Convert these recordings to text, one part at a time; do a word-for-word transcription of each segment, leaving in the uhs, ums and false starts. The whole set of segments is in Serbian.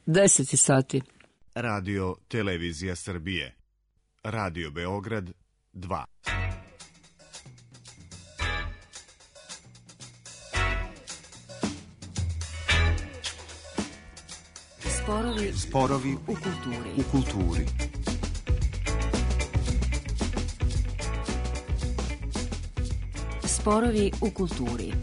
deset sati. Radio Televizija Srbije. Radio Beograd dva. Sporovi, Sporovi u kulturi. U kulturi. Sporovi u kulturi.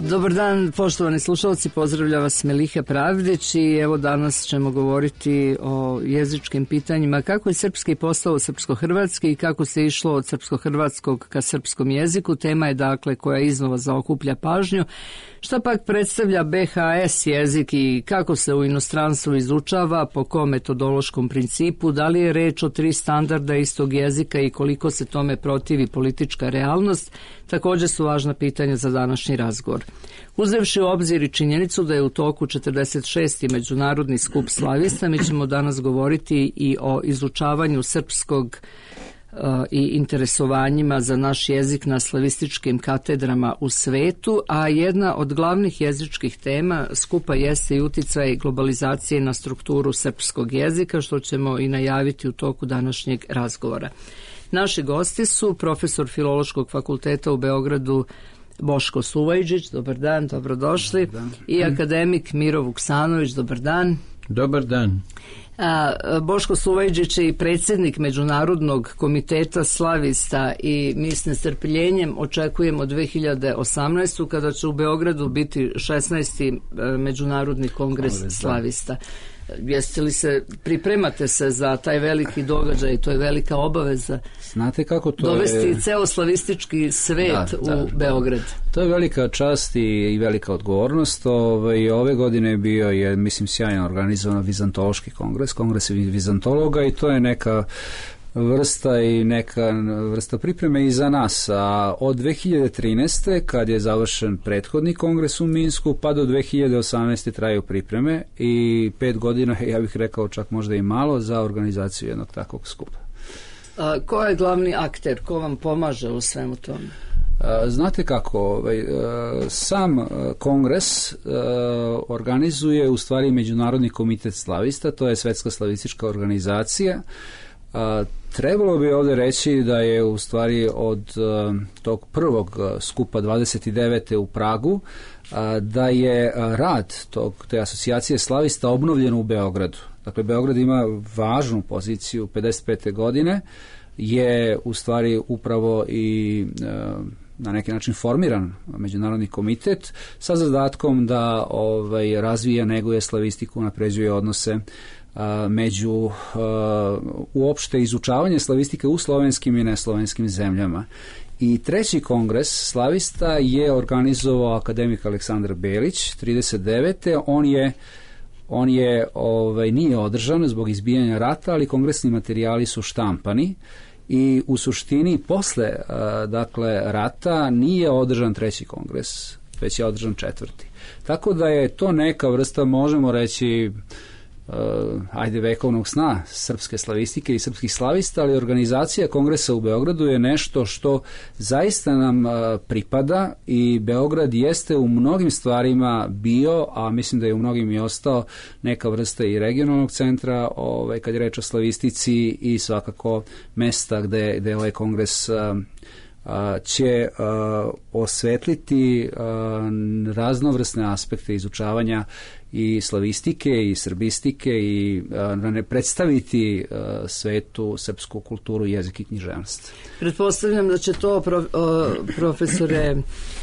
Dobar dan, poštovani slušalci, pozdravlja vas Meliha Pravdić i evo danas ćemo govoriti o jezičkim pitanjima, kako je srpski postao srpsko-hrvatski i kako se išlo od srpsko-hrvatskog ka srpskom jeziku. Tema je dakle koja iznova zaokuplja pažnju. Šta pak predstavlja be ha es jezik i kako se u inostranstvu izučava, po kom metodološkom principu, da li je reč o tri standarda istog jezika i koliko se tome protivi politička realnost, također su važna pitanja za današnji razgovor. Uzevši u obzir i činjenicu da je u toku četrdeset šesti međunarodni skup slavista, mi ćemo danas govoriti i o izučavanju srpskog uh, i interesovanjima za naš jezik na slavističkim katedrama u svetu, a jedna od glavnih jezičkih tema skupa jeste i uticaj globalizacije na strukturu srpskog jezika, što ćemo i najaviti u toku današnjeg razgovora. Naši gosti su profesor Filološkog fakulteta u Beogradu Boško Suvajđić, dobar dan, dobrodošli, dobar dan. I akademik Miro Vuksanović, dobar dan. Dobar dan. A, Boško Suvajđić je i predsjednik Međunarodnog komiteta slavista i mi s nestrpljenjem očekujemo dve hiljade osamnaestu kada će u Beogradu biti šesnaesti Međunarodni kongres Dobre, slavista. Jeste li se, pripremate se za taj veliki događaj, to je velika obaveza. Znate kako to dovesti je... ceo slavistički svet da, u da, Beograd. Da. To je velika čast i, i velika odgovornost. Ove, ove godine bio je, mislim, sjajno organizovan Vizantološki kongres, kongres vizantologa i to je neka vrsta i neka vrsta pripreme i za nas. A od dve hiljade trinaeste kad je završen prethodni kongres u Minsku pa do dve hiljade osamnaeste traju pripreme i pet godina, ja bih rekao čak možda i malo, za organizaciju jednog takvog skupa. A, ko je glavni akter? Ko vam pomaže u svemu tome? A, znate kako, ovaj, sam kongres organizuje u stvari Međunarodni komitet slavista, to je svetska slavistička organizacija. A, trebalo bi ovdje reći da je u stvari od a, tog prvog a, skupa dvadeset devete u Pragu, a, da je a, rad tog, te asocijacije slavista obnovljen u Beogradu. Dakle, Beograd ima važnu poziciju. pedeset pete godine je u stvari upravo i a, na neki način formiran Međunarodni komitet sa zadatkom da ovaj, razvija, neguje slavistiku, napređuje odnose a, među uh, uopšte izučavanje slavistike u slovenskim i neslovenskim zemljama. I treći kongres slavista je organizovao akademik Aleksandar Belić trideset devete On je on je ovaj nije održan zbog izbijanja rata, ali kongresni materijali su štampani i u suštini posle uh, dakle rata nije održan treći kongres, već je održan četvrti. Tako da je to neka vrsta, možemo reći, Uh, ajde vekovnog sna srpske slavistike i srpskih slavista, ali organizacija kongresa u Beogradu je nešto što zaista nam uh, pripada i Beograd jeste u mnogim stvarima bio, a mislim da je u mnogim i ostao, neka vrsta i regionalnog centra ovaj, kad je reč o slavistici i svakako mesta gde, gde ovaj kongres uh, će uh, osvetliti uh, raznovrsne aspekte izučavanja i slavistike i srbistike i uh, ne predstaviti uh, svetu srpsku kulturu, jezik i književnost. Pretpostavljam da će to, pro, o, profesore,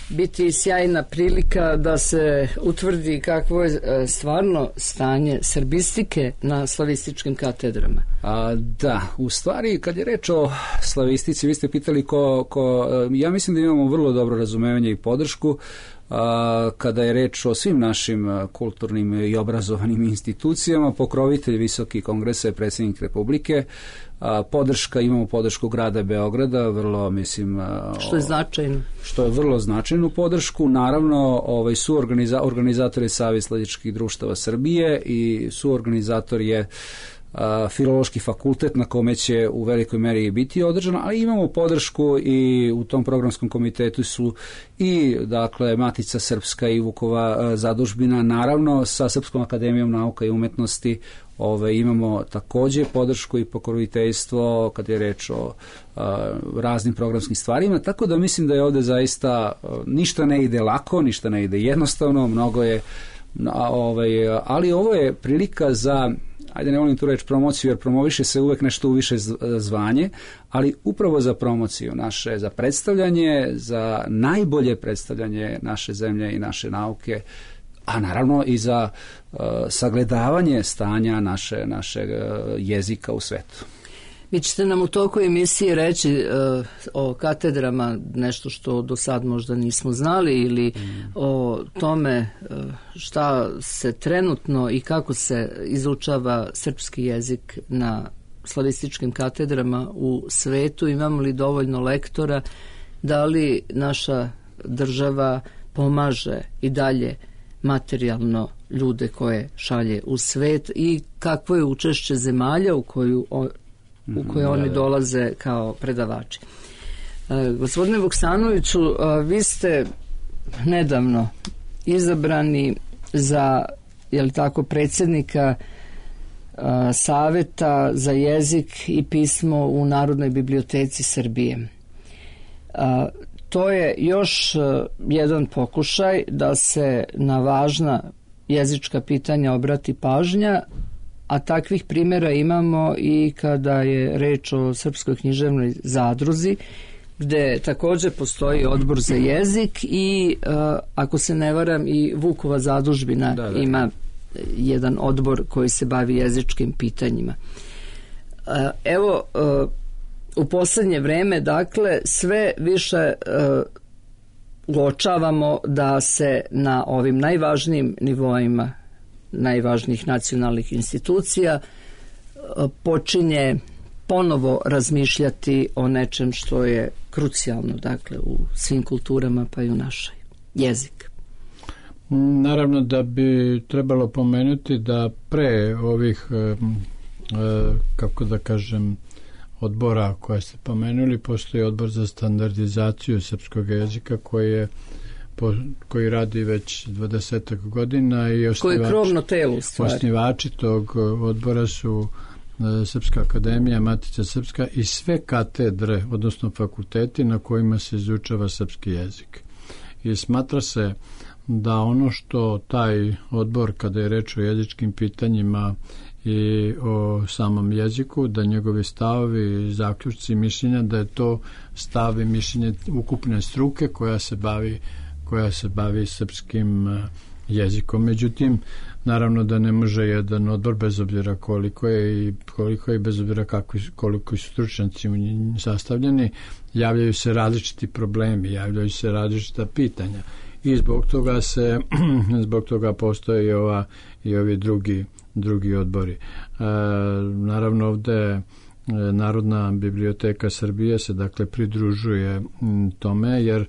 biti sjajna prilika da se utvrdi kakvo je stvarno stanje srbistike na slavističkim katedrama. A, da, u stvari kad je reč o slavistici, vi ste pitali ko, ko nego ja mislim da imamo vrlo dobro razumevanje i podršku a, kada je reč o svim našim kulturnim i obrazovanim institucijama. Pokrovitelj Visoki kongresa je predsjednik Republike. A, podrška, imamo podršku grada Beograda, vrlo mislim... A, što je značajno. Što je vrlo značajnu podršku. Naravno, ovaj, su organiza, organizatori Savez slavičkih društava Srbije i su organizator je a, Filološki fakultet na kome će u velikoj meri biti održano, ali imamo podršku i u tom programskom komitetu su i dakle Matica Srpska i Vukova a, zadužbina, naravno sa Srpskom akademijom nauka i umetnosti. Ove, imamo takođe podršku i pokroviteljstvo kad je reč o a, raznim programskim stvarima, tako da mislim da je ovde zaista a, ništa ne ide lako, ništa ne ide jednostavno, mnogo je, a, ovaj, ali ovo je prilika za, ajde ne volim tu reći promociju, jer promoviše se uvek nešto u više zvanje, ali upravo za promociju naše, za predstavljanje, za najbolje predstavljanje naše zemlje i naše nauke, a naravno i za uh, sagledavanje stanja naše, našeg uh, jezika u svetu. Vi ćete nam u toku emisije reći uh, o katedrama nešto što do sad možda nismo znali ili mm. o tome uh, šta se trenutno i kako se izučava srpski jezik na slavističkim katedrama u svetu. Imamo li dovoljno lektora? Da li naša država pomaže i dalje materijalno ljude koje šalje u svet i kakvo je učešće zemalja u koju o, u koje oni dolaze kao predavači. E, gospodine Vuksanoviću, a, vi ste nedavno izabrani za, je li tako, predsjednika a, Saveta za jezik i pismo u Narodnoj biblioteci Srbije. A, To je još jedan pokušaj da se na važna jezička pitanja obrati pažnja, a takvih primjera imamo i kada je reč o Srpskoj književnoj zadruzi, gde također postoji odbor za jezik i, ako se ne varam, i Vukova zadužbina da, da. ima jedan odbor koji se bavi jezičkim pitanjima. Evo, u poslednje vreme, dakle, sve više uh, uočavamo da se na ovim najvažnijim nivoima najvažnijih nacionalnih institucija uh, počinje ponovo razmišljati o nečem što je krucijalno, dakle, u svim kulturama, pa i u našoj, jezik. Naravno da bi trebalo pomenuti da pre ovih, uh, uh, kako da kažem, odbora koje ste pomenuli, postoji odbor za standardizaciju srpskog jezika koji je po, koji radi već dvadesetak godina i osnivač, krovno telo u stvari. Osnivači tog odbora su Srpska akademija, Matica Srpska i sve katedre, odnosno fakulteti na kojima se izučava srpski jezik. I smatra se da ono što taj odbor, kada je reč o jezičkim pitanjima i o samom jeziku, da njegovi stavovi, zaključci, mišljenja, da je to stav i mišljenje ukupne struke koja se bavi, koja se bavi srpskim jezikom. Međutim, naravno da ne može jedan odbor, bez obzira koliko je i koliko je bez obzira kakvi, koliko su stručnjaci u njim sastavljeni, javljaju se različiti problemi, javljaju se različita pitanja i zbog toga se zbog toga postoje i ova i ovi drugi drugi odbori. E, naravno ovde e, Narodna biblioteka Srbije se dakle pridružuje m, tome, jer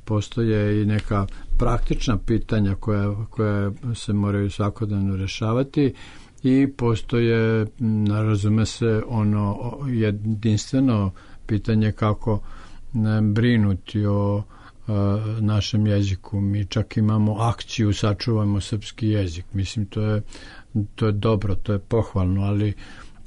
postoje i neka praktična pitanja koja, koja se moraju svakodnevno rešavati i postoje, razume se, ono jedinstveno pitanje kako ne, brinuti o našem jeziku. Mi čak imamo akciju Sačuvajmo srpski jezik. Mislim, to je, to je dobro, to je pohvalno, ali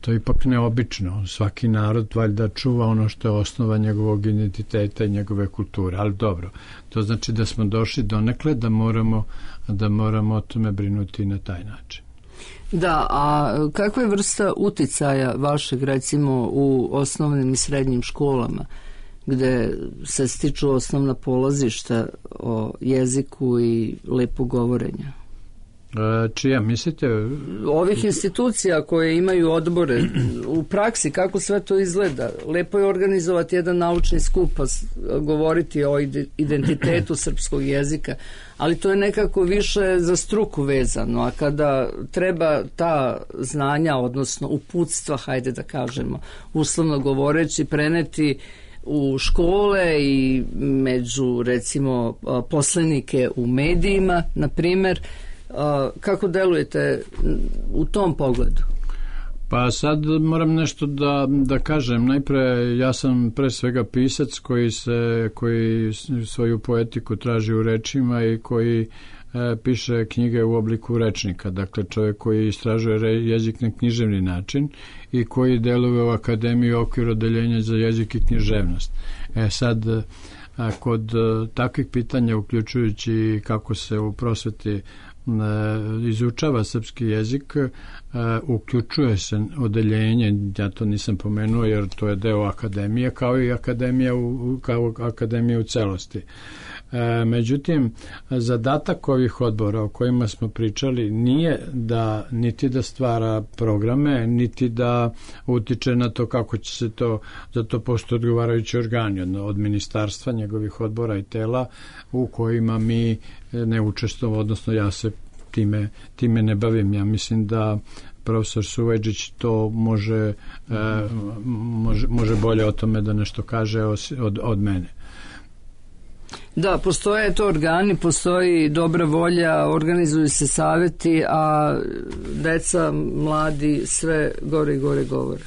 to je ipak neobično. Svaki narod valjda čuva ono što je osnova njegovog identiteta i njegove kulture, ali dobro. To znači da smo došli donekle da moramo, da moramo o tome brinuti na taj način. Da, a kakva je vrsta uticaja vašeg, recimo, u osnovnim i srednjim školama, gde se stiču osnovna polazišta o jeziku i lepo govorenja? Čija, mislite? Ovih institucija koje imaju odbore u praksi, kako sve to izgleda. Lepo je organizovati jedan naučni skup, pa govoriti o identitetu srpskog jezika, ali to je nekako više za struku vezano, a kada treba ta znanja, odnosno uputstva, hajde da kažemo, uslovno govoreći, preneti u škole i među, recimo, poslanike u medijima, na primjer, kako delujete u tom pogledu? Pa sad moram nešto da, da kažem. Najpre, ja sam pre svega pisac koji, se, koji svoju poetiku traži u rečima i koji e, piše knjige u obliku rečnika. Dakle, čovjek koji istražuje jezik na književni način i koji deluje u akademiji u okviru odeljenja za jezik i književnost. E sad, a, kod a, takvih pitanja, uključujući kako se u prosveti izučava srpski jezik, uključuje se odeljenje, ja to nisam pomenuo jer to je deo akademije, kao i akademija u, kao akademija u celosti. Međutim, zadatak ovih odbora o kojima smo pričali nije da niti da stvara programe, niti da utiče na to kako će se to, za to postoje odgovarajući organi od ministarstva, njegovih odbora i tela u kojima mi ne učestvujemo, odnosno ja se time, time ne bavim. Ja mislim da profesor Suvajdžić to može, e, može, može bolje o tome da nešto kaže od, od mene. Da, postoje to organi, postoji dobra volja, organizuju se savjeti, a deca, mladi sve gore i gore govore.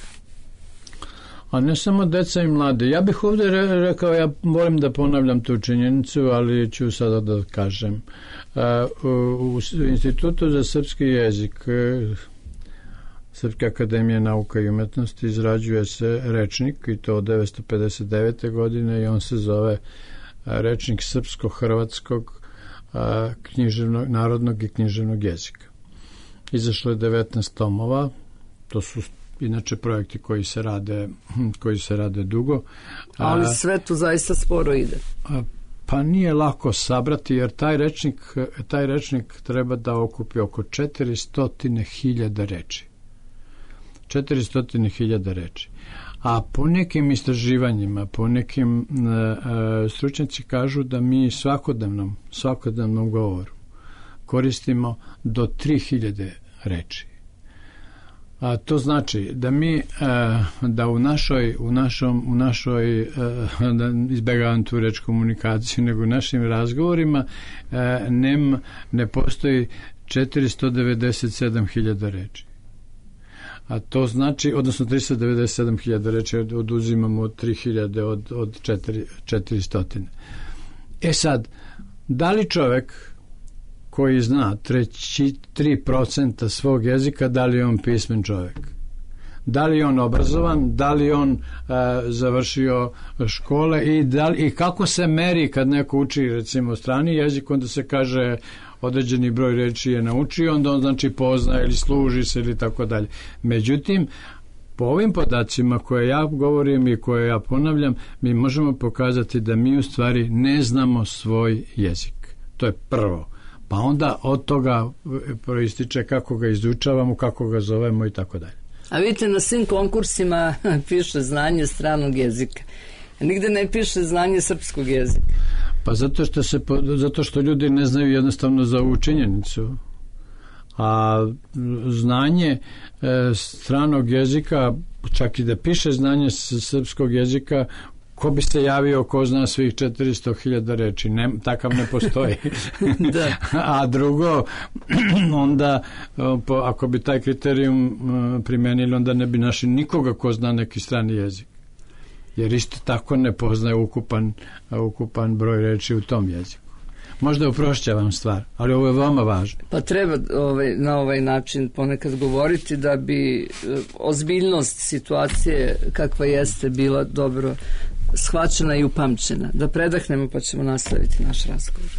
A ne samo deca i mlade. Ja bih ovdje rekao, ja volim da ponavljam tu činjenicu, ali ću sada da kažem. U Institutu za srpski jezik Srpske akademije nauka i umetnosti izrađuje se rečnik, i to od devetsto pedeset devete godine, i on se zove rečnik srpsko-hrvatskog književnog, narodnog i književnog jezika. Izašlo je devetnaest tomova, to su inače projekti koji se rade, koji se rade dugo. Ali sve to zaista sporo ide. Pa nije lako sabrati, jer taj rečnik, taj rečnik treba da okupi oko četiristo hiljada reči. četiristo hiljada reči. A po nekim istraživanjima, po nekim uh, stručnjaci kažu da mi svakodnevnom, svakodnevnom govoru koristimo do tri hiljade reči. A to znači da mi uh, da u našoj u našom u našoj uh, da izbegavam tu reč komunikaciju, nego u našim razgovorima uh, nem, ne postoji četiristo devedeset sedam hiljada reči. A to znači, odnosno tristo devedeset sedam hiljada reči oduzimamo od tri hiljade od, od četiristo. E sad, da li čovek koji zna treći, tri procenta svog jezika, da li je on pismen čovek? Da li je on obrazovan, da li on uh, završio škole i, da li, i kako se meri kad neko uči recimo strani jezik, onda se kaže određeni broj reči je naučio, onda on znači pozna ili služi se ili tako dalje. Međutim, po ovim podacima koje ja govorim i koje ja ponavljam, mi možemo pokazati da mi u stvari ne znamo svoj jezik. To je prvo. Pa onda od toga proističe kako ga izučavamo, kako ga zovemo i tako dalje. A vidite, na svim konkursima piše znanje stranog jezika. Nigde ne piše znanje srpskog jezika. Pa zato što, se, zato što ljudi ne znaju jednostavno za ovu činjenicu. A znanje e, stranog jezika, čak i da piše znanje srpskog jezika, ko bi se javio ko zna svih četiristo hiljada reči? Ne, takav ne postoji. Da. A drugo, onda po, ako bi taj kriterijum primenili, onda ne bi našli nikoga ko zna neki strani jezik. Jer isto tako ne poznaje ukupan, ukupan broj reči u tom jeziku. Možda uprošćavam stvar, ali ovo je veoma važno. Pa treba ovaj, na ovaj način ponekad govoriti da bi ozbiljnost situacije kakva jeste bila dobro shvaćena i upamćena. Da predahnemo pa ćemo nastaviti naš razgovor.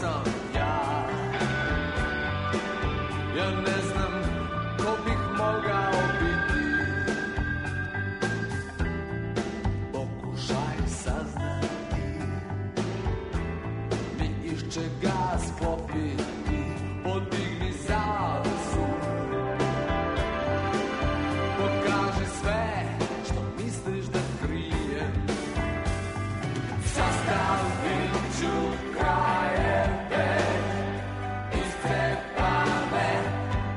sam ja. Ja ne znam ko bih mogao biti. Pokušaj saznati, ni iz čega sklopiti. Podigni zavesu, pokaži sve što misliš da krijem. Sastavit ću krajeve iscepane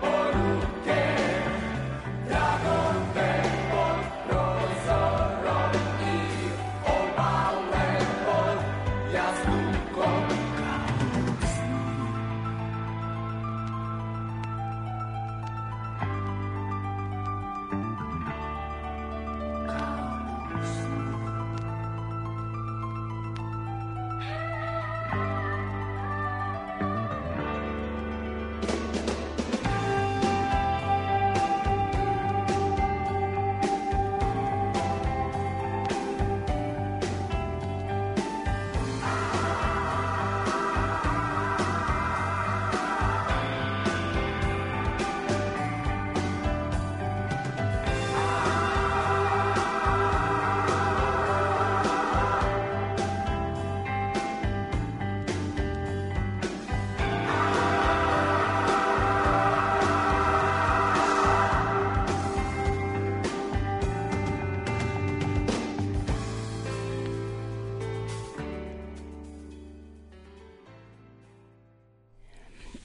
poruke, dragove pod prozorom i obale pod jaslukom kao sni. Kao sni.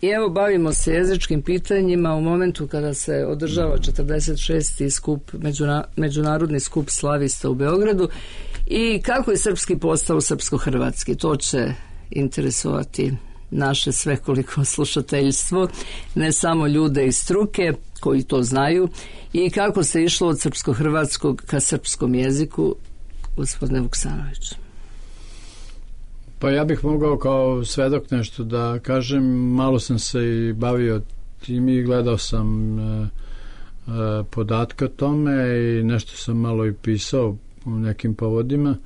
I evo bavimo se jezičkim pitanjima u momentu kada se održava četrdeset šesti skup, međuna, međunarodni skup slavista u Beogradu i kako je srpski postao srpsko-hrvatski. To će interesovati naše svekoliko slušateljstvo, ne samo ljude iz struke koji to znaju, i kako se išlo od srpsko-hrvatskog ka srpskom jeziku, gospodine Vuksanović. Pa ja bih mogao kao svedok nešto da kažem. Malo sam se i bavio tim i gledao sam e, e, podatke o tome i nešto sam malo i pisao u nekim povodima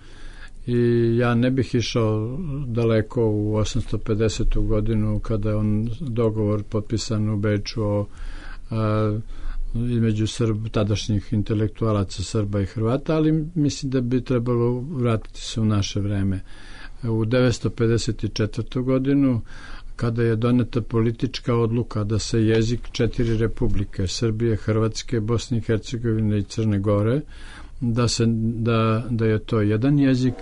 i ja ne bih išao daleko u osamsto pedesetu godinu kada je on dogovor potpisan u Beču o e, između Srb, tadašnjih intelektualaca Srba i Hrvata, ali mislim da bi trebalo vratiti se u naše vreme. U devetsto pedeset četvrtu godinu, kada je doneta politička odluka da se jezik četiri republike, Srbije, Hrvatske, Bosne i Hercegovine i Crne Gore, da, se, da, da je to jedan jezik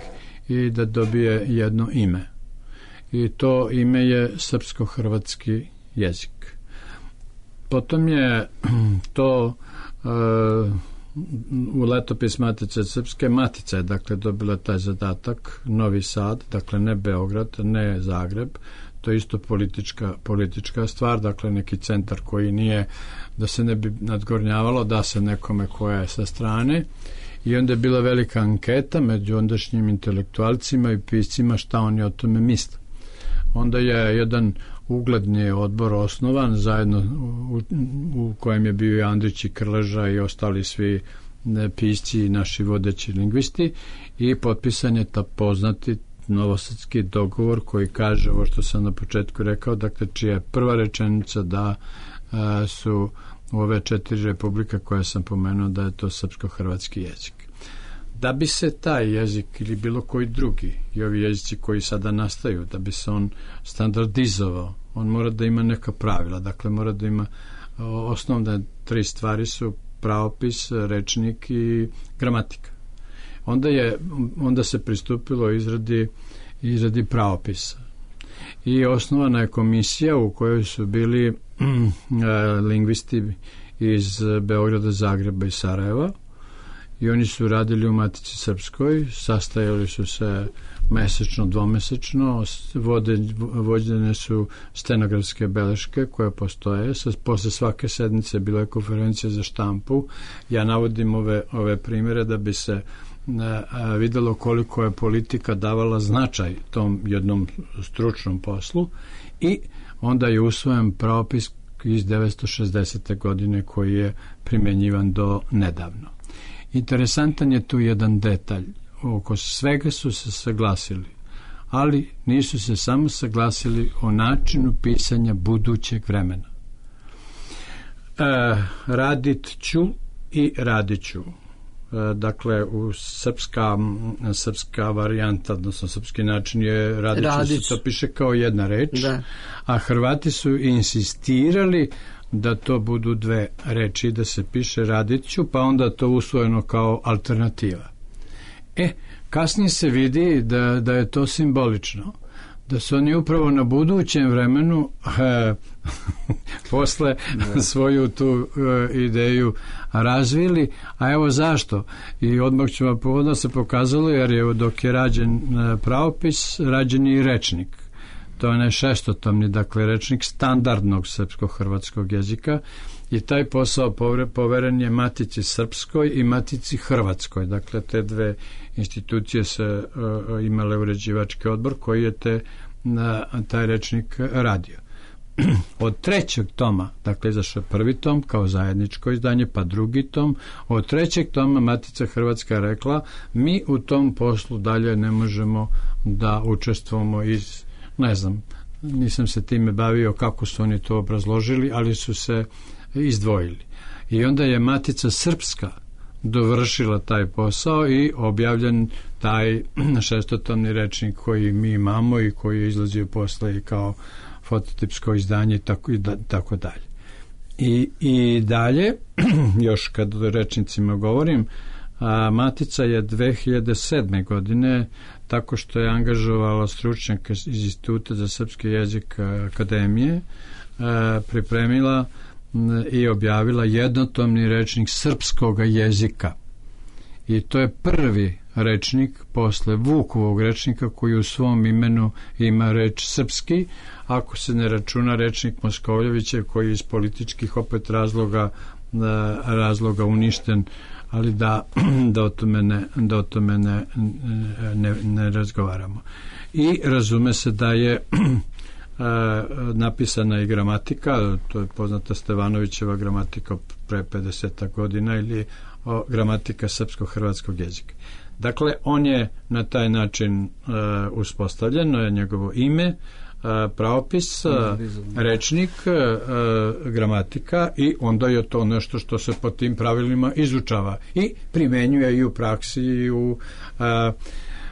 i da dobije jedno ime. I to ime je srpsko-hrvatski jezik. Potom je to uh, u letopis Matice Srpske, Matica je dakle dobila taj zadatak, Novi Sad, dakle ne Beograd, ne Zagreb, to je isto politička, politička stvar, dakle neki centar koji nije, da se ne bi nadgornjavalo, da se nekome koja je sa strane, i onda je bila velika anketa među ondašnjim intelektualcima i piscima šta oni o tome misle. Onda je jedan ugledni odbor osnovan zajedno u, u kojem je bio i Andrić i Krleža i ostali svi ne, pisci i naši vodeći lingvisti, i potpisan je ta poznati novosadski dogovor koji kaže ovo što sam na početku rekao, dakle čija je prva rečenica da a, su ove četiri republika koje sam pomenuo da je to srpsko-hrvatski jezik. Da bi se taj jezik ili bilo koji drugi i ovi jezici koji sada nastaju, da bi se on standardizovao, on mora da ima neka pravila, dakle mora da ima osnovne tri stvari su pravopis, rečnik i gramatika. Onda je onda se pristupilo izradi izradi pravopisa i osnovana je komisija u kojoj su bili lingvisti iz Beograda, Zagreba i Sarajeva, i oni su radili u Matici Srpskoj, sastajali su se mesečno, dvomesečno, vode, vođene su stenografske beleške koje postoje, sa, posle svake sednice bila je konferencija za štampu. Ja navodim ove, ove primjere da bi se a, videlo koliko je politika davala značaj tom jednom stručnom poslu, i onda je usvojen pravopis iz devetsto šezdesete godine koji je primenjivan do nedavno. Interesantan je tu jedan detalj. Oko svega su se saglasili, ali nisu se samo saglasili o načinu pisanja budućeg vremena. E, radit ću i radit ću. E, dakle, u srpska, srpska varijanta, odnosno srpski način je radit ću, Radić. Se to piše kao jedna reč, da. A Hrvati su insistirali da to budu dve reči, da se piše radit ću, pa onda to usvojeno kao alternativa. E, kasnije se vidi da, da je to simbolično, da su oni upravo na budućem vremenu e, posle ne. svoju tu e, ideju razvili, a evo zašto. I odmah ću vam povodno se pokazalo, jer je dok je rađen e, pravopis, rađen je i rečnik. To je šestotomni, dakle, rečnik standardnog srpsko-hrvatskog jezika, i taj posao poveren je Matici Srpskoj i Matici Hrvatskoj. Dakle, te dve institucije se uh, imale uređivački odbor koji je te, uh, taj rečnik radio. Od trećeg toma, dakle, izašao prvi tom kao zajedničko izdanje, pa drugi tom. Od trećeg toma Matica Hrvatska je rekla, mi u tom poslu dalje ne možemo da učestvujemo iz, ne znam, nisam se time bavio kako su oni to obrazložili, ali su se izdvojili. I onda je Matica Srpska dovršila taj posao i objavljen taj šestotomni rečnik koji mi imamo i koji je izlazio posle i kao fototipsko izdanje i tako, i da, tako dalje. I, i dalje, još kad o rečnicima govorim, a Matica je dve hiljade sedme. godine, tako što je angažovala stručnjaka iz Instituta za srpski jezik Akademije, a, pripremila i objavila jednotomni rečnik srpskog jezika. I to je prvi rečnik posle Vukovog rečnika koji u svom imenu ima reč srpski, ako se ne računa rečnik Moskovljevićev koji je iz političkih opet razloga razloga uništen, ali da, da o tome, ne, da o tome ne, ne, ne razgovaramo. I razume se da je napisana i gramatika, to je poznata Stevanovićeva gramatika pre pedeset godina, ili o, gramatika srpsko-hrvatskog jezika. Dakle, on je na taj način uh, uspostavljen, je njegovo ime, uh, pravopis, uh, rečnik, uh, gramatika, i onda je to nešto što se po tim pravilima izučava i primenjuje i u praksi i u uh,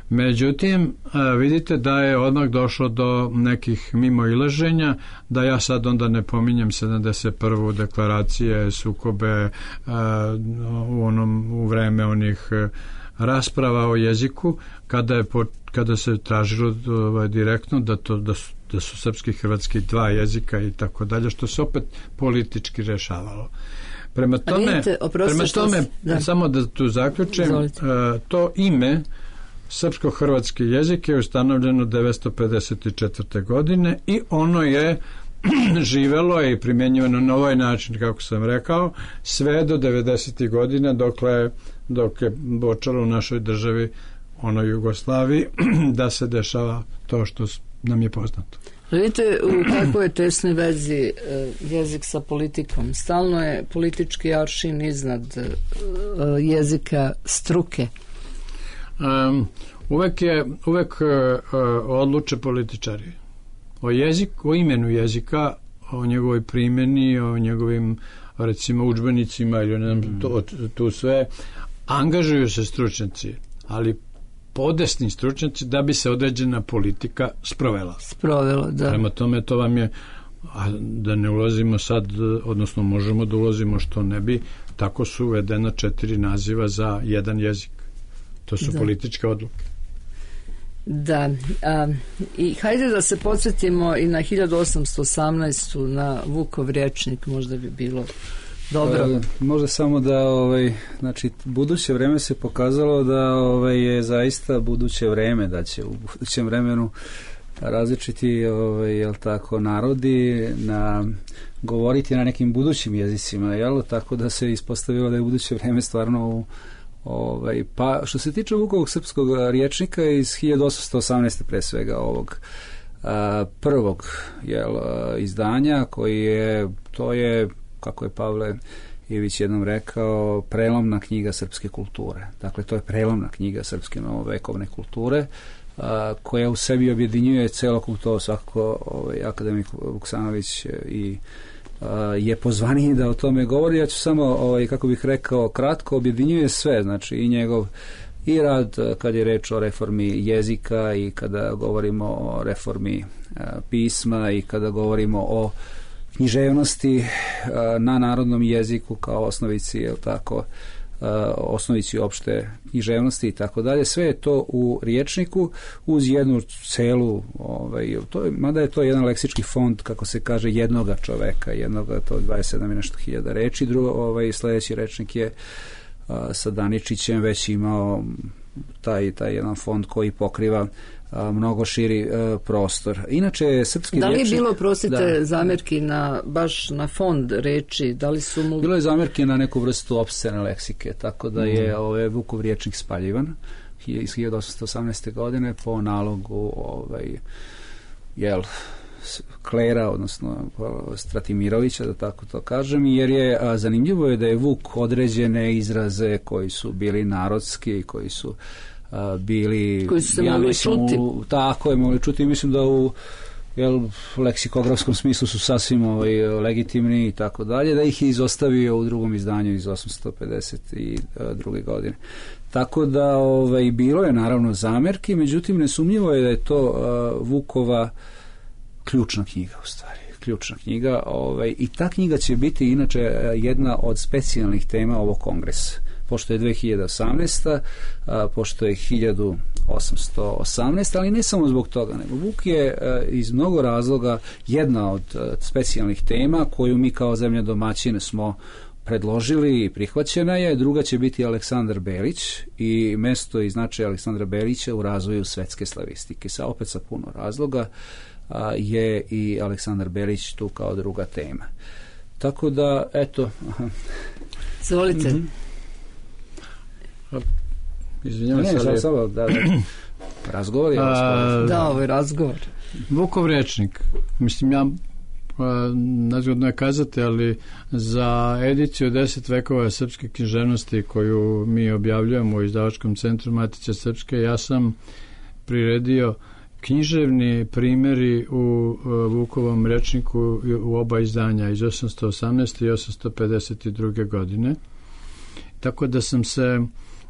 međutim, vidite da je odmah došlo do nekih mimoilaženja, da ja sad onda ne pominjem sedamdeset prvu deklaracije, sukobe u onom u vreme onih rasprava o jeziku, kada je po, kada se tražilo ovaj, direktno da to da su, da su srpski i hrvatski dva jezika i tako dalje, što se opet politički rešavalo. Prema tome, vidite, prema tome da. samo da tu zaključim, to ime srpsko-hrvatski jezik je ustanovljeno devetsto pedeset četvrte. godine i ono je živelo i primjenjivano na ovaj način, kako sam rekao, sve do devedesetih godina, dokle, dok je počelo u našoj državi, onoj Jugoslaviji, da se dešava to što nam je poznato. Vidite u kakvoj je tesnoj vezi jezik sa politikom. Stalno je politički aršin iznad jezika struke. Um, uvek je uvek uh, odluče političari o jeziku, o imenu jezika, o njegovoj primjeni, o njegovim, recimo, udžbenicima ili ne znam, to, tu sve angažuju se stručnjaci, ali podesni stručnjaci, da bi se određena politika sprovela. Sprovela, da. Prema tome, to vam je, a da ne ulazimo sad, odnosno možemo da ulazimo što ne bi, tako su uvedena četiri naziva za jedan jezik. To su da. političke odluke. Da. A, i hajde da se podsjetimo i na hiljadu osamsto osamnaestu. na Vukov rječnik, možda bi bilo dobro. E, možda samo da ovaj, znači, buduće vreme se pokazalo da ovaj, je zaista buduće vreme, da će u budućem vremenu različiti ovaj, jel tako, narodi na govoriti na nekim budućim jezicima, jel? Tako da se ispostavilo da je buduće vreme stvarno u Ovaj, pa što se tiče Vukovog srpskog rječnika iz hiljadu osamsto osamnaeste. pre svega ovog a, prvog jel, a, izdanja, koji je, to je, kako je Pavle Ivić jednom rekao, prelomna knjiga srpske kulture. Dakle, to je prelomna knjiga srpske novovekovne kulture. a, koja u sebi objedinjuje celokupno to, svakako ovaj, akademik Vuksanović i a, je pozvaniji da o tome govori. Ja ću samo, ovaj, kako bih rekao, kratko objedinjuje sve, znači i njegov i rad kad je reč o reformi jezika i kada govorimo o reformi a, pisma i kada govorimo o književnosti a, na narodnom jeziku kao osnovici, je li tako, a, osnovici opšte književnosti i tako dalje. Sve je to u rječniku uz jednu celu, ovaj, to je, mada je to jedan leksički fond, kako se kaže, jednoga čoveka, jednoga, to dvadeset sedam i nešto hiljada reči. Drugo, ovaj, sledeći rečnik je a, sa Daničićem već imao taj, taj jedan fond koji pokriva a, mnogo širi a, prostor. Inače, srpski da li je rječnik, bilo, prosite, da, zamerki na, baš na fond reči? Da li su mu... Bilo je zamerki na neku vrstu opscene leksike, tako da je mm. ovaj, Vukov rječnik spaljivan iz hiljadu osamsto osamnaeste. godine po nalogu ovaj, jel, klera, odnosno Stratimirovića, da tako to kažem, jer je a, zanimljivo je da je Vuk određene izraze koji su bili narodski, koji su a, bili... Koji su se ja mogli čuti. U, tako je, mogli čuti. Mislim da u jel, leksikografskom smislu su sasvim ovaj, legitimni i tako dalje, da ih je izostavio u drugom izdanju iz osamsto pedeset druge. godine. Tako da ovaj, bilo je naravno zamerki, međutim nesumnjivo je da je to uh, Vukova ključna knjiga u stvari. Ključna knjiga ovaj, i ta knjiga će biti inače jedna od specijalnih tema ovog kongresa. Pošto je dve hiljade osamnaesta. A, pošto je hiljadu osamsto osamnaesta. ali ne samo zbog toga, nego Vuk je a, iz mnogo razloga jedna od a, specijalnih tema koju mi kao zemlja domaćine smo predložili i prihvaćena je. Druga će biti Aleksandar Belić i mesto i značaj Aleksandra Belića u razvoju svetske slavistike. Sa opet sa puno razloga a, je i Aleksandar Belić tu kao druga tema. Tako da, eto... Zvolite. Mm-hmm. Izvinjavam ne, se, ali... Samo, da, da, razgovor je... A, da, ovo je razgovor. Vukov rečnik, mislim, ja nazgodno je kazati, ali za ediciju deset vekova srpske književnosti koju mi objavljujemo u izdavačkom centru Matice Srpske, ja sam priredio književni primjeri u Vukovom rečniku u oba izdanja iz osamsto osamnaeste. i osamsto pedeset druge. godine. Tako da sam se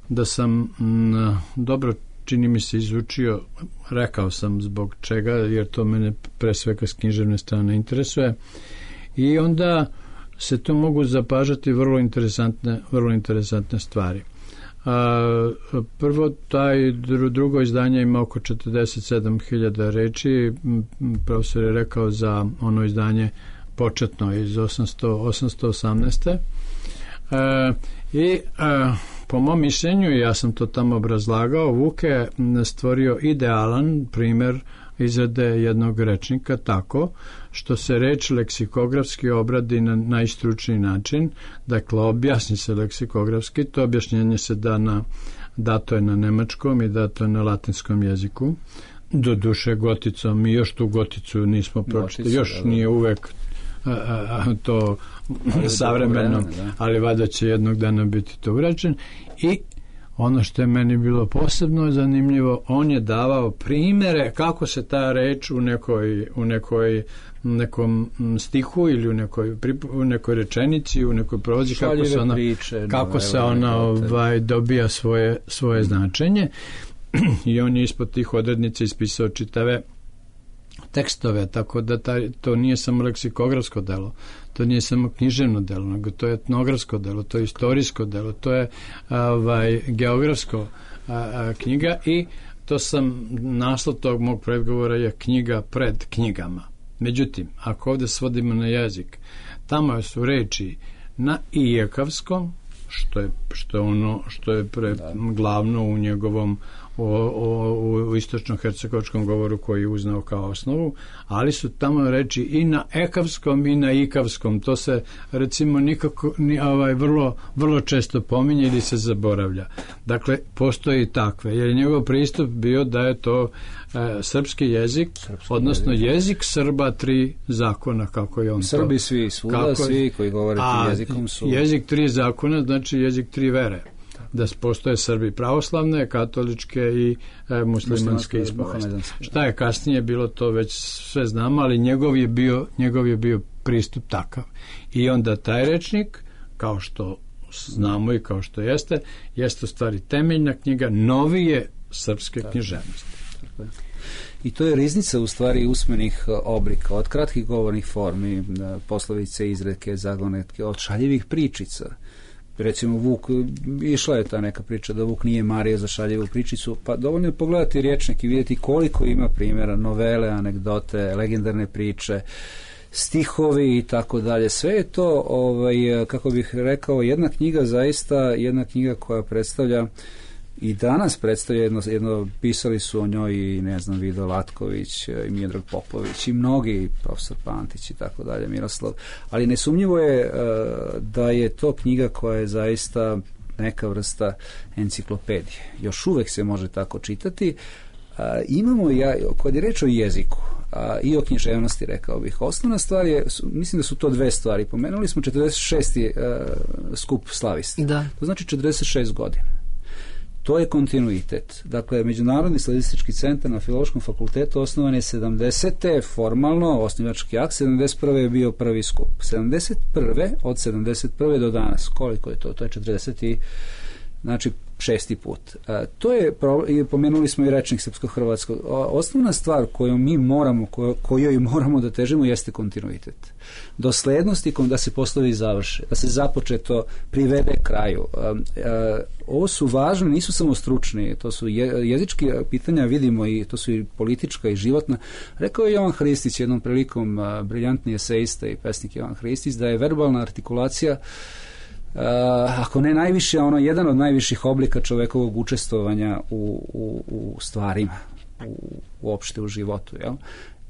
da sam m, dobro čini mi se izučio, rekao sam zbog čega, jer to mene pre svega s književne strane interesuje, i onda se tu mogu zapažati vrlo interesantne, vrlo interesantne stvari. A, prvo, taj drugo izdanje ima oko četrdeset sedam hiljada reči. Profesor je rekao za ono izdanje početno iz osamsto osamnaeste. A, i a, po mom mišljenju, ja sam to tamo obrazlagao, Vuk je stvorio idealan primjer izrade jednog rečnika tako što se reč leksikografski obradi na najstručniji način, dakle objasni se leksikografski, to objašnjenje se da na, dato je na nemačkom i dato je na latinskom jeziku, do duše goticom, mi još tu goticu nismo pročitali, još nije uvek a, a, to savremeno, ali valjda će jednog dana biti to urađen. I ono što je meni bilo posebno zanimljivo, on je davao primere kako se ta reč u nekoj, u nekoj nekom stihu ili u nekoj, u nekoj rečenici, u nekoj prozi, kako se ona, priče, kako no, se ona ovaj, dobija svoje, svoje značenje. I on je ispod tih odrednica ispisao čitave tekstove, tako da taj, to nije samo leksikografsko delo, to nije samo književno delo, nego to je etnografsko delo, to je istorijsko delo, to je ovaj, geografsko a, a, knjiga, i to sam, naslov tog mog predgovora je knjiga pred knjigama. Međutim, ako ovdje svodimo na jezik, tamo su reči na ijekavskom, što je, što je ono što je pre, glavno u njegovom o, o, u istočno-hercegovačkom govoru koji je uznao kao osnovu, ali su tamo reči i na ekavskom i na ikavskom. To se recimo nikako ni, ovaj, vrlo, vrlo često pominje ili se zaboravlja. Dakle, postoji i takve, jer je njegov pristup bio da je to e, srpski jezik, srpski odnosno jezik. jezik Srba tri zakona, kako je on Srbi to. svi, svuda kako, svi koji govore tim jezikom su... Jezik tri zakona znači jezik tri vere. da postoje Srbi pravoslavne, katoličke i e, muslimanske ispovesti. Šta je kasnije bilo, to već sve znamo, ali njegov je bio, njegov je bio pristup takav. I onda taj rečnik, kao što znamo i kao što jeste, jeste u stvari temeljna knjiga novije srpske tako, književnosti. Tako. I to je riznica u stvari usmenih oblika, od kratkih govornih formi, poslovice, izreke, zagonetke, od šaljivih pričica. Recimo Vuk, išla je ta neka priča da Vuk nije mario za šaljivu pričicu, pa dovoljno je pogledati rječnik i vidjeti koliko ima primjera, novele, anegdote, legendarne priče, stihovi i tako dalje. Sve je to, ovaj, kako bih rekao, jedna knjiga zaista, jedna knjiga koja predstavlja i danas predstavlja jedno, jedno, pisali su o njoj i ne znam, Vido Latković i Miodrag Popović i mnogi, profesor Pantić i tako dalje, Miroslav, ali nesumnjivo je uh, da je to knjiga koja je zaista neka vrsta enciklopedije. Još uvek se može tako čitati. Uh, imamo, ja, kad je reč o jeziku uh, i o književnosti, rekao bih, osnovna stvar je, mislim da su to dve stvari. Pomenuli smo četrdeset šesti Uh, skup slavista. Da. To znači četrdeset šest godina. To je kontinuitet. Dakle, Međunarodni slavistički centar na Filološkom fakultetu osnovan je sedamdesete formalno, osnivački akt, sedamdeset prve je bio prvi skup. sedamdeset prve od sedamdeset prve do danas, koliko je to? To je četrdeset i, znači, šesti put. A, to je, pomenuli smo i rečnik srpsko-hrvatskog, osnovna stvar koju mi moramo, kojo, kojoj moramo da težimo jeste kontinuitet. Doslednosti da se poslovi završe, da se započeto privede kraju. A, a, ovo su važne, nisu samo stručni, to su je, jezički pitanja, vidimo, i to su i politička i životna. Rekao je Jovan Hristić jednom prilikom, a, briljantni eseista i pesnik Jovan Hristić, da je verbalna artikulacija Uh, ako ne najviše, ono jedan od najviših oblika čovekovog učestvovanja u, u, u stvarima, u, uopšte u životu, jel?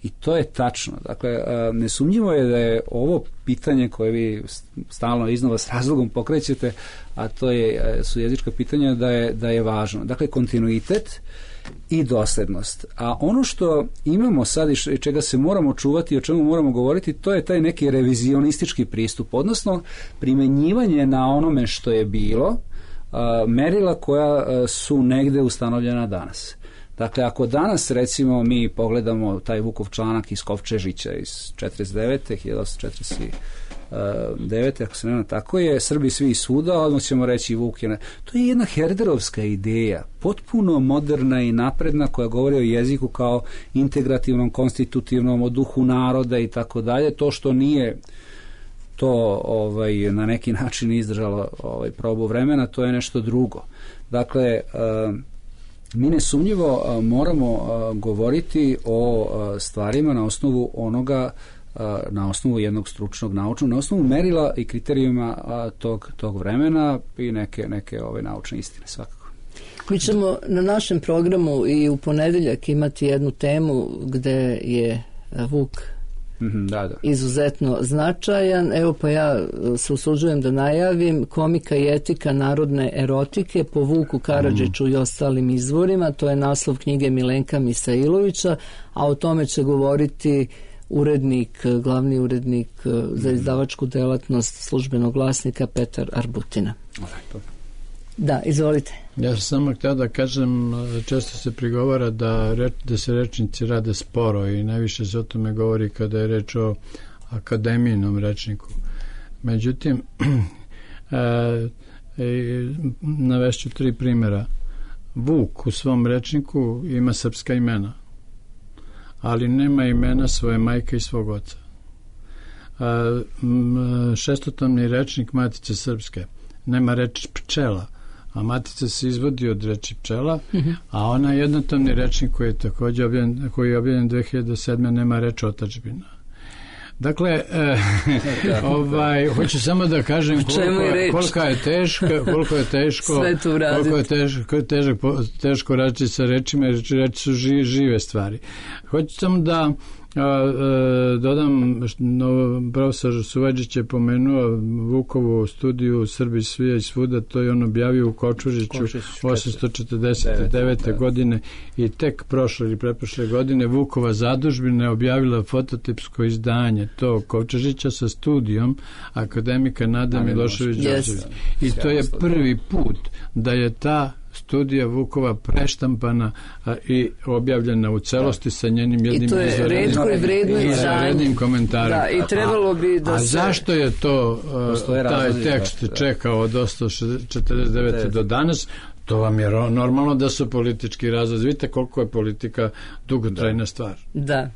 I to je tačno. Dakle, uh, nesumnjivo je da je ovo pitanje koje vi stalno iznova s razlogom pokrećete, a to je, su jezička pitanja, da je, da je važno. Dakle, kontinuitet i doslednost. A ono što imamo sad i čega se moramo čuvati i o čemu moramo govoriti, to je taj neki revizionistički pristup, odnosno primenjivanje na onome što je bilo, a, merila koja a, su negde ustanovljena danas. Dakle, ako danas, recimo, mi pogledamo taj Vukov članak iz Kovčežića iz četrdeset devete hiljadu osamsto četrdeset devete ako se nema, tako je, Srbi svi svuda, odmah ćemo reći Vuk je... To je jedna herderovska ideja, potpuno moderna i napredna, koja govori o jeziku kao integrativnom, konstitutivnom, o duhu naroda i tako dalje. To što nije to ovaj, na neki način izdržalo ovaj, probu vremena, to je nešto drugo. Dakle, uh, mi nesumnjivo uh, moramo uh, govoriti o uh, stvarima na osnovu onoga, na osnovu jednog stručnog naučnog, na osnovu merila i kriterijuma tog, tog vremena i neke, neke ove naučne istine svakako. Mi ćemo na našem programu i u ponedeljak imati jednu temu gde je Vuk mm-hmm, da, da. izuzetno značajan. Evo pa ja se usuđujem da najavim Komika i etika narodne erotike po Vuku Karadžiću mm. i ostalim izvorima. To je naslov knjige Milenka Misailovića, a o tome će govoriti urednik, glavni urednik za izdavačku delatnost Službenog glasnika Petar Arbutina. Da, izvolite. Ja sam samo htio da kažem, često se prigovara da, reč, da se rečnici rade sporo i najviše se o tome govori kada je reč o akademijinom rečniku. Međutim, e, e, navešću tri primjera. Vuk u svom rečniku ima srpska imena, ali nema imena svoje majke i svog oca. A, m, šestotomni rečnik Matice srpske nema reč pčela, a Matica se izvodi od reči pčela, mm-hmm. a ona jednotomni rečnik koji je također objavljen, koji je objavljen dve hiljade sedme nema reč otadžbina. Dakle, e, ovaj, hoću samo da kažem koliko, koliko je teško, koliko je teško, koliko je teško, teško, teško raditi sa rečima, jer reči su ži, žive stvari. Hoću samo da A, a, dodam, no, profesor Suvadžić je pomenuo Vukovu studiju Srbi svija i svuda, to je on objavio u Kočužiću osamsto četrdeset devete. godine i tek prošle ili preprošle godine Vukova zadužbina je objavila fototipsko izdanje to Kočužića sa studijom akademika Nada Milošević-Đorđević. I to je prvi put da je ta studija Vukova preštampana a, i objavljena u celosti sa njenim jednim izvanrednim komentarom. Da, i trebalo bi da a, a se... zašto je to a, taj tekst da, čekao od osamsto četrdeset devete. do danas? To vam je normalno da su politički razlozi. Vidite koliko je politika dugotrajna da. stvar. Da.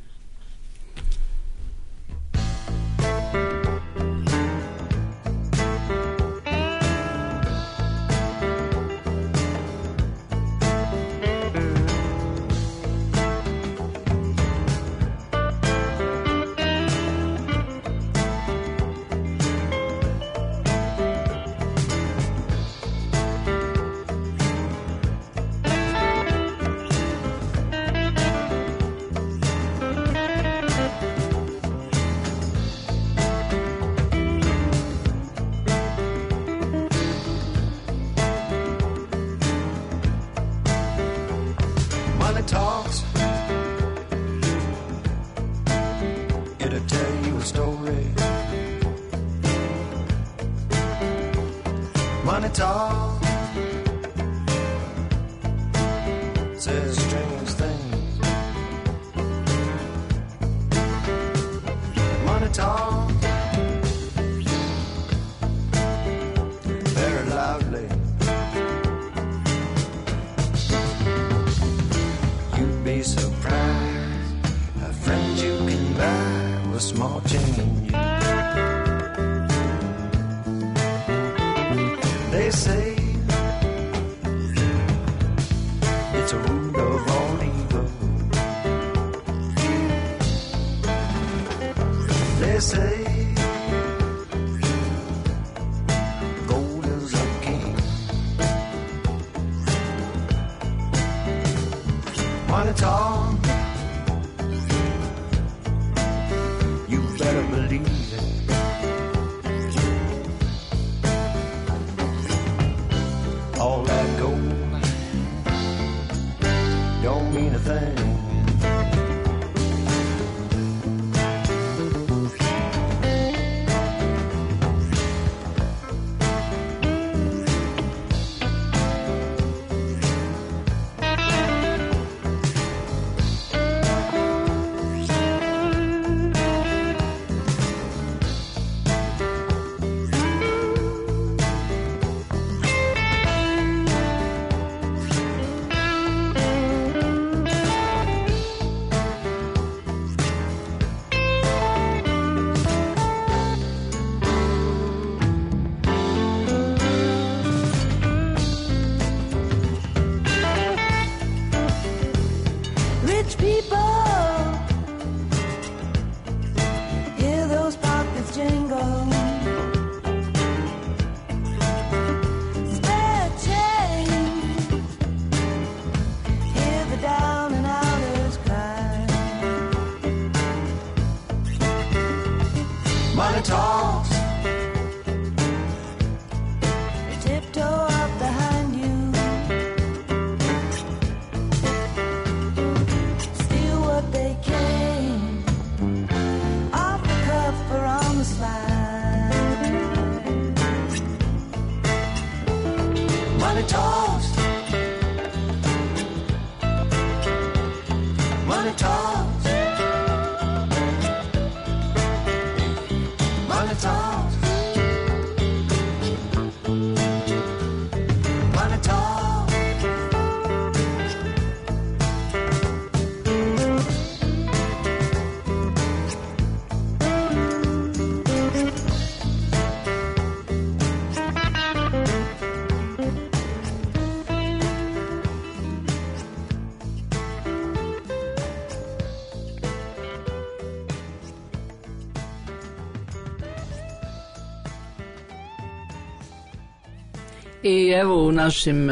I evo u našim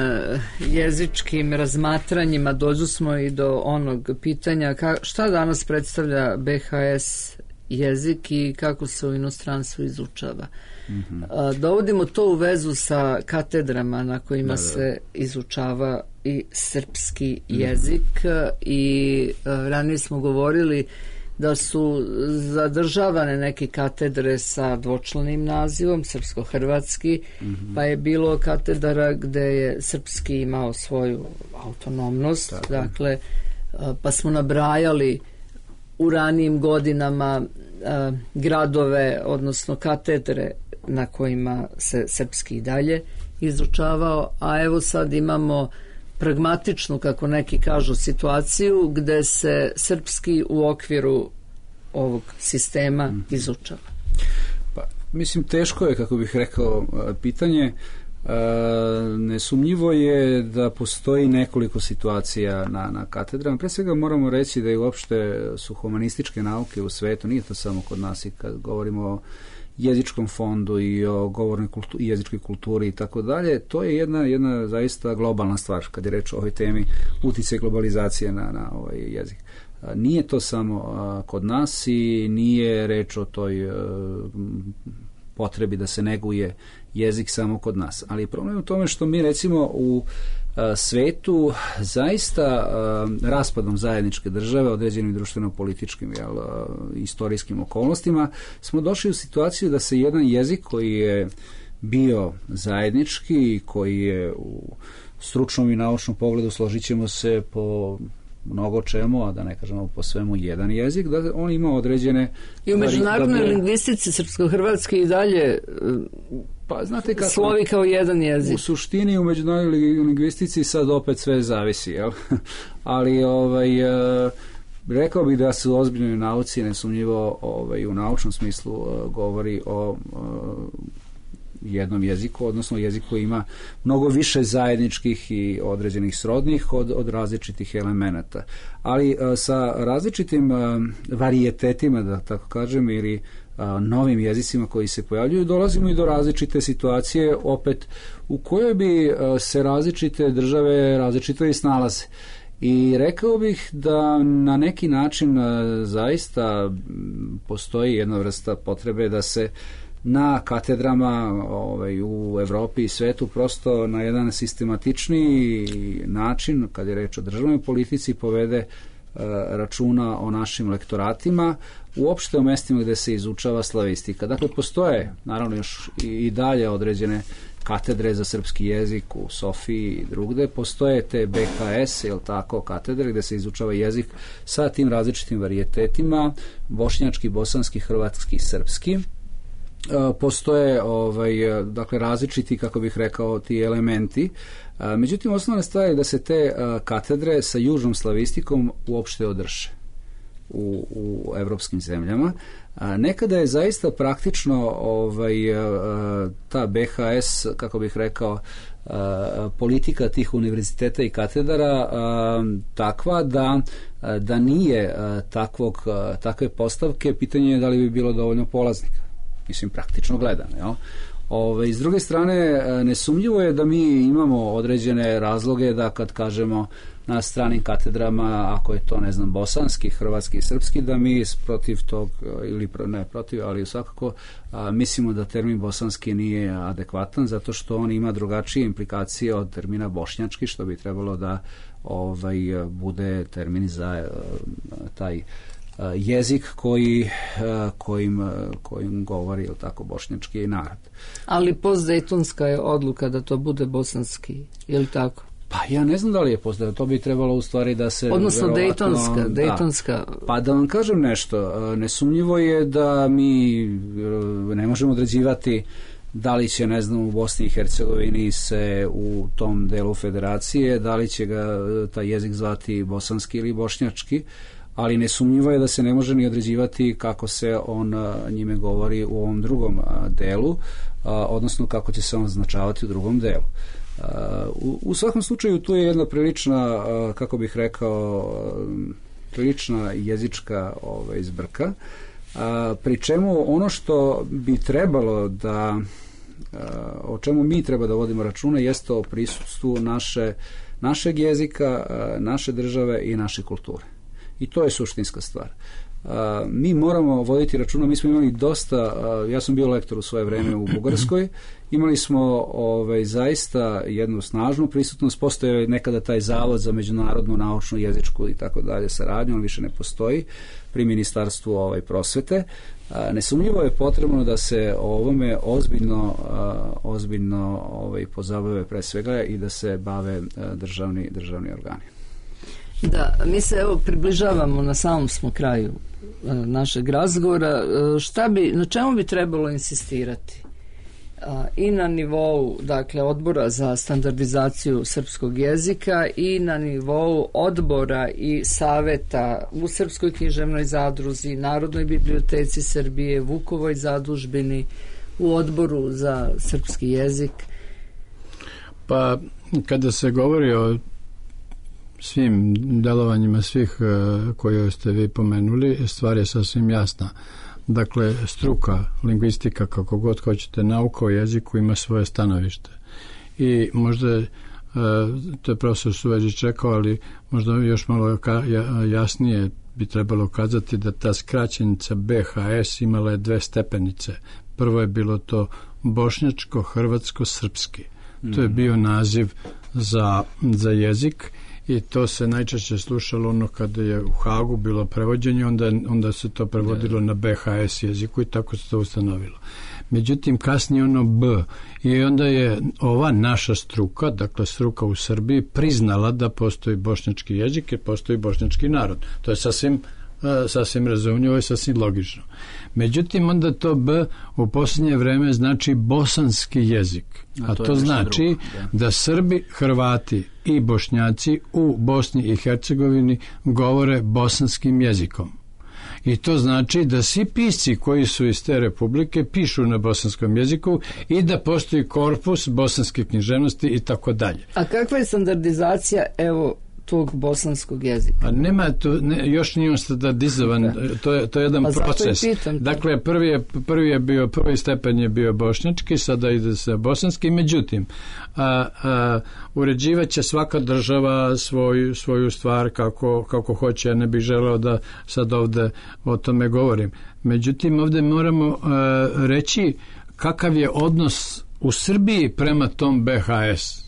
jezičkim razmatranjima dođu smo i do onog pitanja ka, šta danas predstavlja B H S jezik i kako se u inostranstvu izučava. Mm-hmm. Dovodimo to u vezu sa katedrama na kojima da, da. se izučava i srpski jezik mm-hmm. i ranije smo govorili da su zadržavane neke katedre sa dvočlanim nazivom, srpsko-hrvatski, mm-hmm. pa je bilo katedara gde je srpski imao svoju autonomnost, tako. Dakle, pa smo nabrajali u ranijim godinama a, gradove, odnosno katedre na kojima se srpski i dalje izučavao, a evo sad imamo pragmatičnu, kako neki kažu, situaciju gde se srpski u okviru ovog sistema izučava. Pa, mislim, teško je, kako bih rekao, pitanje. Nesumnjivo je da postoji nekoliko situacija na, na katedrama. Pre svega moramo reći da i uopšte su humanističke nauke u svetu, nije to samo kod nas, i kad govorimo o jezičkom fondu i o govornoj kultu, jezičkoj kulturi i tako dalje, to je jedna, jedna zaista globalna stvar kad je reč o ovoj temi uticaj globalizacije na, na ovaj jezik. Nije to samo a, kod nas i nije reč o toj a, potrebi da se neguje jezik samo kod nas. Ali problem je u tome što mi recimo u a, svetu zaista a, raspadom zajedničke države, određenim društveno-političkim jel, a, istorijskim okolnostima, smo došli u situaciju da se jedan jezik koji je bio zajednički, koji je u stručnom i naučnom pogledu, složit ćemo se, po mnogo čemu, a da ne kažemo po svemu jedan jezik, da on ima određene... I u međunarodnoj da lingvistici srpsko-hrvatski i dalje pa, znate kako, slovi kao jedan jezik. U suštini u međunarodnoj lingvistici sad opet sve zavisi, jel? Ali ovaj, rekao bih da se u ozbiljnoj nauci nesumnjivo ovaj, u naučnom smislu govori o jednom jeziku, odnosno jezik koji ima mnogo više zajedničkih i određenih srodnih od, od različitih elemenata. Ali a, sa različitim a, varijetetima, da tako kažem, ili a, novim jezicima koji se pojavljuju, dolazimo i do različite situacije, opet u kojoj bi a, se različite države različito i snalaze. I rekao bih da na neki način a, zaista postoji jedna vrsta potrebe da se na katedrama ovaj, u Evropi i svetu prosto na jedan sistematičniji način, kad je reč o državnoj politici, povede e, računa o našim lektoratima, uopšte o mestima gde se izučava slavistika. Dakle, postoje naravno još i, i dalje određene katedre za srpski jezik u Sofiji i drugde, postoje te B H S, jel tako, katedre gde se izučava jezik sa tim različitim varijetetima, bošnjački, bosanski, hrvatski, srpski. Postoje ovaj, dakle, različiti, kako bih rekao, ti elementi. Međutim, osnovna stvar je da se te katedre sa južnom slavistikom uopšte održe u, u evropskim zemljama. Nekada je zaista praktično ovaj, ta B H S, kako bih rekao, politika tih univerziteta i katedara takva da, da nije takvog, takve postavke, pitanje je da li bi bilo dovoljno polaznika. Mislim, praktično gledano. Jel? Ove, s druge strane, nesumnjivo je da mi imamo određene razloge da kad kažemo na stranim katedrama, ako je to, ne znam, bosanski, hrvatski i srpski, da mi protiv tog, ili ne protiv, ali svakako a, mislimo da termin bosanski nije adekvatan, zato što on ima drugačije implikacije od termina bošnjački, što bi trebalo da ovaj, bude termin za a, taj jezik koji, kojim, kojim govori, ili tako, bošnjački narod. Ali postdejtonska je odluka da to bude bosanski, ili tako? Pa ja ne znam da li je postdejtonska, to bi trebalo u stvari da se... Odnosno dejtonska, da, dejtonska. Pa da vam kažem nešto, nesumnjivo je da mi ne možemo određivati da li će, ne znam, u Bosni i Hercegovini se u tom delu federacije, da li će ga taj jezik zvati bosanski ili bošnjački, ali nesumnjivo je da se ne može ni određivati kako se on njime govori u ovom drugom delu, odnosno kako će se on označavati u drugom delu. U, u svakom slučaju tu je jedna prilična, kako bih rekao, prilična jezička ovaj, zbrka, pri čemu ono što bi trebalo da o čemu mi treba da vodimo računa jeste o prisustvu naše, našeg jezika, naše države i naše kulture. I to je suštinska stvar. Mi moramo voditi računa, mi smo imali dosta, ja sam bio lektor u svoje vreme u Bugarskoj, imali smo ovaj, zaista jednu snažnu prisutnost, postoje nekada taj zavod za međunarodnu naučnu jezičku i tako dalje saradnju, on više ne postoji pri ministarstvu ovaj, prosvete. Nesumnjivo je potrebno da se o ovome ozbiljno, ozbiljno ovaj, pozabave pre svega i da se bave državni, državni organi. Da, mi se evo približavamo, na samom smo kraju našeg razgovora. Šta bi, na čemu bi trebalo insistirati? I na nivou, dakle, odbora za standardizaciju srpskog jezika i na nivou odbora i saveta u Srpskoj književnoj zadruzi, Narodnoj biblioteci Srbije, Vukovoj zadužbini, u odboru za srpski jezik. Pa, kada se govori o svim delovanjima svih koje ste vi pomenuli, stvar je sasvim jasna. Dakle, struka, lingvistika, kako god hoćete, nauka o jeziku ima svoje stanovište. I možda, to je profesor Suveđić rekao, ali možda još malo jasnije bi trebalo kazati da ta skraćenica B H S imala je dve stepenice. Prvo je bilo to bošnjačko-hrvatsko-srpski. To je bio naziv za, za jezik. I to se najčešće slušalo ono kada je u Hagu bilo prevođenje, onda, onda se to prevodilo na B H S jeziku i tako se to ustanovilo. Međutim, kasnije ono B i onda je ova naša struka, dakle struka u Srbiji, priznala da postoji bošnjački jezik i postoji bošnjački narod. To je sasvim, sasvim razumljivo i sasvim logično. Međutim, onda to B u posljednje vreme znači bosanski jezik. A, A to, to znači drugo, da. da Srbi, Hrvati i Bošnjaci u Bosni i Hercegovini govore bosanskim jezikom. I to znači da svi pisci koji su iz te republike pišu na bosanskom jeziku i da postoji korpus bosanske književnosti i tako dalje. A kakva je standardizacija, evo, tog bosanskog jezika? A nema to, ne, još nije on standardizovan, to je, to je jedan a proces. Dakle, prvi je, prvi je bio, prvi stepen je bio bošnjački, sada ide se bosanski, međutim, a, a, uređivat će svaka država svoju, svoju stvar kako, kako hoće, ja ne bih želeo da sad ovde o tome govorim. Međutim, ovde moramo a, reći kakav je odnos u Srbiji prema tom B H S.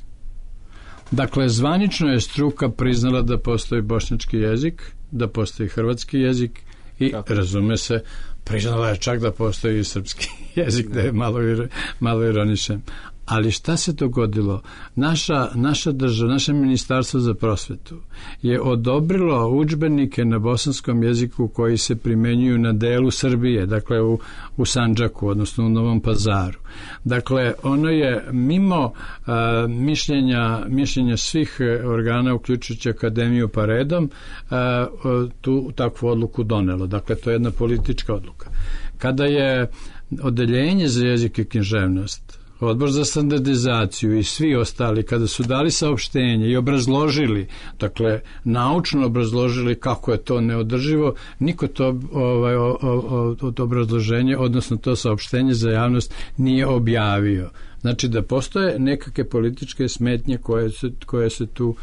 Dakle, zvanično je struka priznala da postoji bošnjački jezik, da postoji hrvatski jezik i, tako, razume se, priznala je čak da postoji i srpski jezik, da je malo, malo ironičan. Ali šta se dogodilo? Naša, naša država, naše ministarstvo za prosvetu je odobrilo udžbenike na bosanskom jeziku koji se primenjuju na delu Srbije, dakle u, u Sandžaku, odnosno u Novom Pazaru. Dakle, ono je mimo a, mišljenja, mišljenja svih organa, uključujući Akademiju pa redom, a, tu takvu odluku donelo. Dakle, to je jedna politička odluka. Kada je odeljenje za jezik i književnost, Odbor za standardizaciju i svi ostali, kada su dali saopštenje i obrazložili, dakle, naučno obrazložili kako je to neodrživo, niko to ovaj, o, o, o, to obrazloženje, odnosno to saopštenje za javnost nije objavio. Znači da postoje nekakve političke smetnje koje se, koje se tu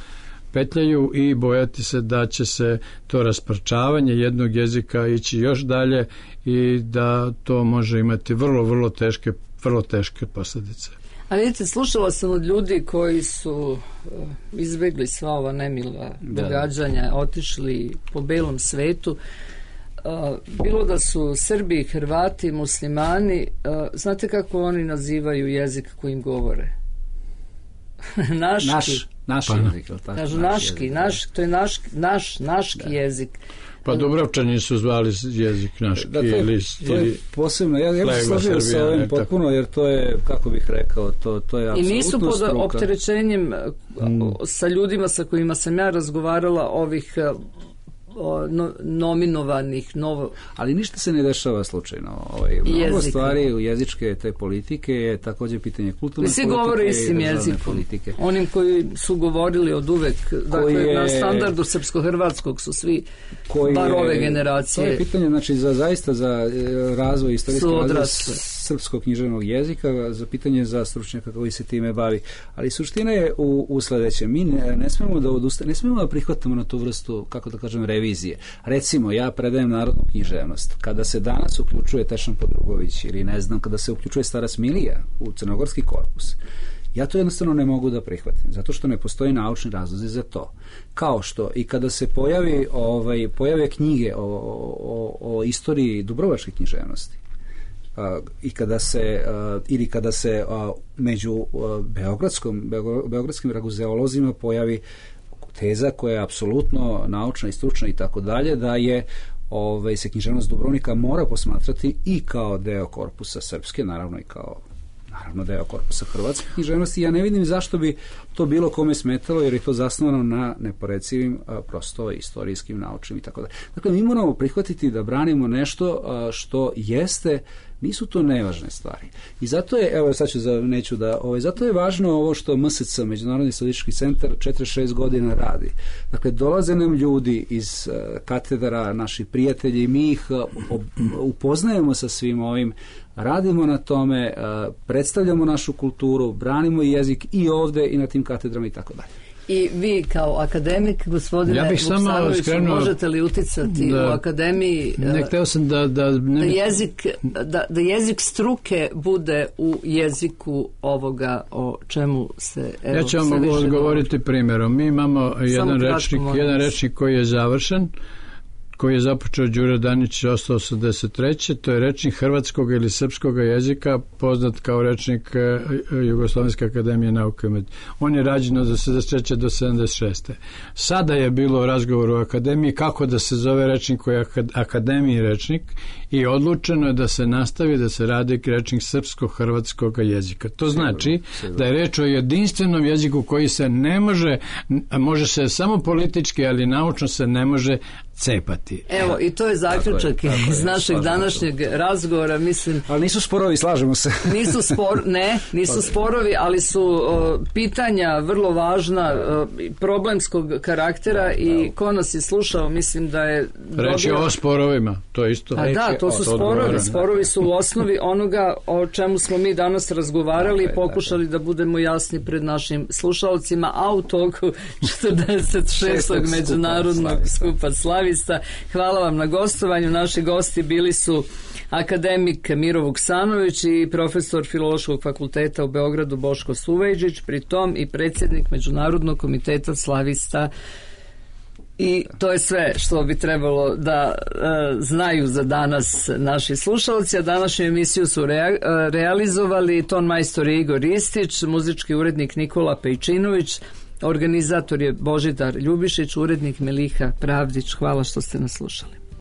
petljaju i bojati se da će se to rasparčavanje jednog jezika ići još dalje i da to može imati vrlo, vrlo teške vrlo teške posljedice. A vidite, slušala sam od ljudi koji su uh, izbjegli sva ova nemila da. događanja, otišli po belom svetu. Uh, bilo da su Srbi, Hrvati, muslimani, uh, znate kako oni nazivaju jezik kojim govore? Naški. Naš, naš pa, jezik. Tako, kažu naš naški, jezik, naš, to je naš, naš, naški da. jezik. Pa Dubrovčani su zvali jezik naški da, to, ili, to je ili posebno, ja, ja bih složio sa ovim potpuno, jer to je, kako bih rekao, to, to je apsolutno i nisu pod struka. opterećenjem mm. sa ljudima sa kojima sam ja razgovarala ovih no, nominovanih novo... Ali ništa se ne dešava slučajno. Ovaj, mnogo stvari u jezičke te politike je također pitanje kulturne svi politike govore i istim jezikom. Politike. Onim koji su govorili od uvek, dakle, je, na standardu srpsko-hrvatskog su svi bar ove generacije. To je pitanje, znači, za, zaista za razvoj istorijski razvoj srpskog književnog jezika, za pitanje za stručnjaka koji se time bavi. Ali suština je u, u sledećem. Mi ne, ne smemo da odustane, ne smemo da prihvatamo na tu vrstu, kako da kažem, revizije. Recimo, ja predajem narodnu književnost. Kada se danas uključuje Tešan Podrugović ili ne znam, kada se uključuje Stara Smilija u crnogorski korpus, ja to jednostavno ne mogu da prihvatim, zato što ne postoji naučni razlozi za to. Kao što i kada se pojavi, ovaj, pojave knjige o, o, o istoriji dubrovačke književnosti, a, i kada se, a, ili kada se a, među a, beogradskom, beo, beogradskim raguzeolozima pojavi teza koja je apsolutno naučna i stručna i tako dalje, da je ovaj, se književnost Dubrovnika mora posmatrati i kao deo korpusa srpske, naravno i kao naravno deo korpusa hrvatske književnosti. Ja ne vidim zašto bi to bilo kome smetalo, jer je to zasnovano na neporecivim, a, prosto istorijskim, naučnim i tako dalje. Dakle, mi moramo prihvatiti da branimo nešto a, što jeste, nisu to nevažne stvari. I zato je, evo sad ću za, neću da, ovaj, zato je važno ovo što M S C, Međunarodni istraživački centar, četrdeset šest godina radi. Dakle, dolaze nam ljudi iz uh, katedra, naši prijatelji, i mi ih uh, ob, upoznajemo sa svim ovim, radimo na tome, uh, predstavljamo našu kulturu, branimo jezik i ovde i na tim katedrama i tako dalje. I vi kao akademik, gospodine ja Vuksanoviću, skrenuo, možete li uticati da, u akademiji ne, hteo sam da, da, ne, da, jezik, da, da jezik struke bude u jeziku ovoga o čemu se evo, ja ću vam odgovoriti primjerom. Mi imamo jedan rečnik, jedan rečnik koji je završen, koji je započeo Đuro Danić osamsto osamdeset treće. To je rečnik hrvatskog ili srpskog jezika, poznat kao rečnik Jugoslovenske akademije nauke. On je rađen od šezdeset treće do sedamdeset šeste. Sada je bilo razgovor u akademiji kako da se zove rečnik koji je akademiji rečnik i odlučeno je da se nastavi da se radi rečnik srpsko-hrvatskog jezika. To znači da je reč o jedinstvenom jeziku koji se ne može, može se samo politički, ali naučno se ne može cepati. Evo, i to je zaključak tako je, tako iz našeg današnjeg razgovora, mislim. Ali nisu sporovi, slažemo se. Nisu spor, ne, nisu sporovi, ali su o, pitanja vrlo važna, o, problemskog karaktera i ko nas je slušao, mislim da je dobio... Reći o sporovima, to je isto. A da, to su sporovi. Sporovi su u osnovi onoga o čemu smo mi danas razgovarali i pokušali da budemo jasni pred našim slušalcima, a u toku četrdeset šestog međunarodnog skupa Slavista. Hvala vam na gostovanju. Naši gosti bili su akademik Miro Vuksanović i profesor Filološkog fakulteta u Beogradu Boško Suvejđić, pritom i predsjednik Međunarodnog komiteta Slavista. I to je sve što bi trebalo da e, znaju za danas naši slušalci, a današnju emisiju su rea, realizovali ton majstor Igor Ristić, muzički urednik Nikola Pejčinović, organizator je Božidar Ljubišić, urednik Meliha Pravdić. Hvala što ste nas slušali.